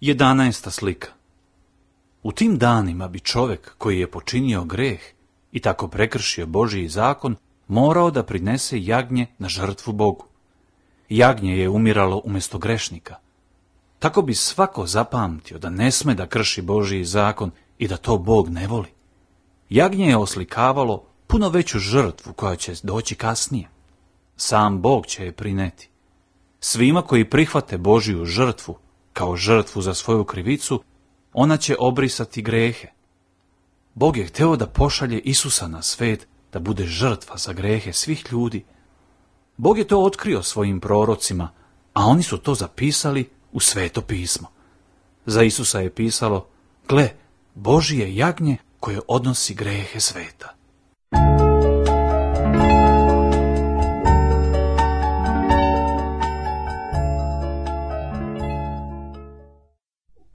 11. slika. U tim danima bi čovjek koji je počinio greh i tako prekršio Božji zakon morao da prinese jagnje na žrtvu Bogu. Jagnje je umiralo umjesto grešnika. Tako bi svako zapamtio da ne sme da krši Božji zakon i da to Bog ne voli. Jagnje je oslikavalo puno veću žrtvu koja će doći kasnije. Sam Bog će je prineti. Svima koji prihvate Božju žrtvu kao žrtvu za svoju krivicu, ona će obrisati grehe. Bog je hteo da pošalje Isusa na svet da bude žrtva za grehe svih ljudi. Bog je to otkrio svojim prorocima, a oni su to zapisali u Sveto pismo. Za Isusa je pisalo: gle, Božje jagnje koje odnosi grehe sveta.